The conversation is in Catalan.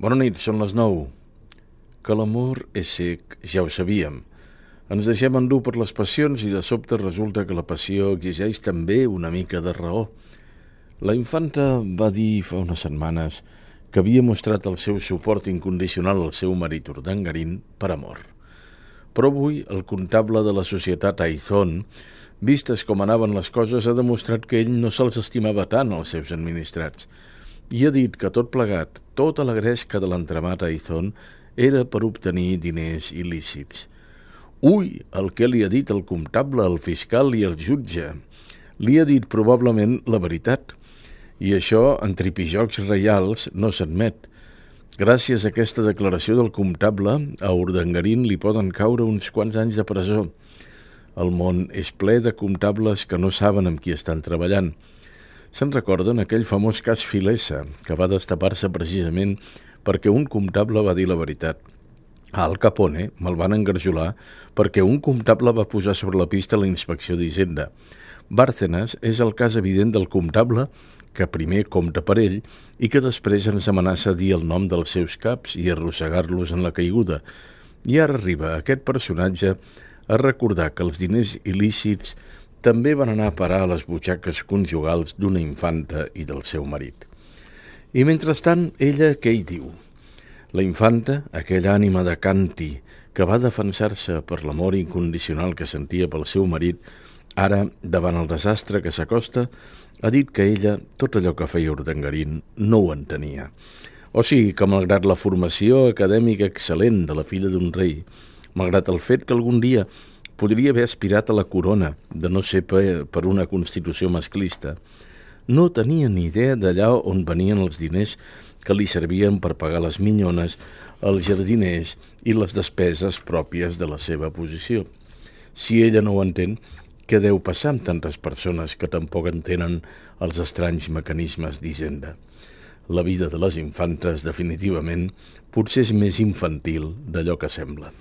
Bona nit, són les 9. Que l'amor és cec, ja ho sabíem. Ens deixem endur per les passions i de sobte resulta que la passió exigeix també una mica de raó. La infanta va dir fa unes setmanes que havia mostrat el seu suport incondicional al seu marit Urdangarín per amor. Però avui el comptable de la societat Aizón, vistes com anaven les coses, ha demostrat que ell no se'ls estimava tant als seus administrats i ha dit que tot plegat, tota la gresca de l'entramat Aizón era per obtenir diners il·lícits. Ui, el que li ha dit el comptable, el fiscal i el jutge. Li ha dit probablement la veritat. I això, en tripijocs reials, no s'admet. Gràcies a aquesta declaració del comptable, a Urdangarín li poden caure uns quants anys de presó. El món és ple de comptables que no saben amb qui estan treballant. Se'n recorden aquell famós cas Filesa, que va destapar-se precisament perquè un comptable va dir la veritat. A Al Capone me'l van engarjolar perquè un comptable va posar sobre la pista la inspecció d'Hisenda. Bárcenas és el cas evident del comptable que primer compta per ell i que després ens amenaça a dir el nom dels seus caps i arrossegar-los en la caiguda. I ara arriba aquest personatge a recordar que els diners il·lícits també van anar a parar a les butxaques conjugals d'una infanta i del seu marit. I mentrestant, ella què hi diu? La infanta, aquella ànima de Canti, que va defensar-se per l'amor incondicional que sentia pel seu marit, ara, davant el desastre que s'acosta, ha dit que ella, tot allò que feia Urdangarín, no ho entenia. O sigui que, malgrat la formació acadèmica excel·lent de la filla d'un rei, malgrat el fet que algun dia podria haver aspirat a la corona, de no ser per una constitució masclista, no tenia ni idea d'allà on venien els diners que li servien per pagar les minyones, els jardiners i les despeses pròpies de la seva posició. Si ella no ho entén, què deu passar amb tantes persones que tampoc entenen els estranys mecanismes d'Hisenda? La vida de les infantes, definitivament, potser és més infantil d'allò que sembla.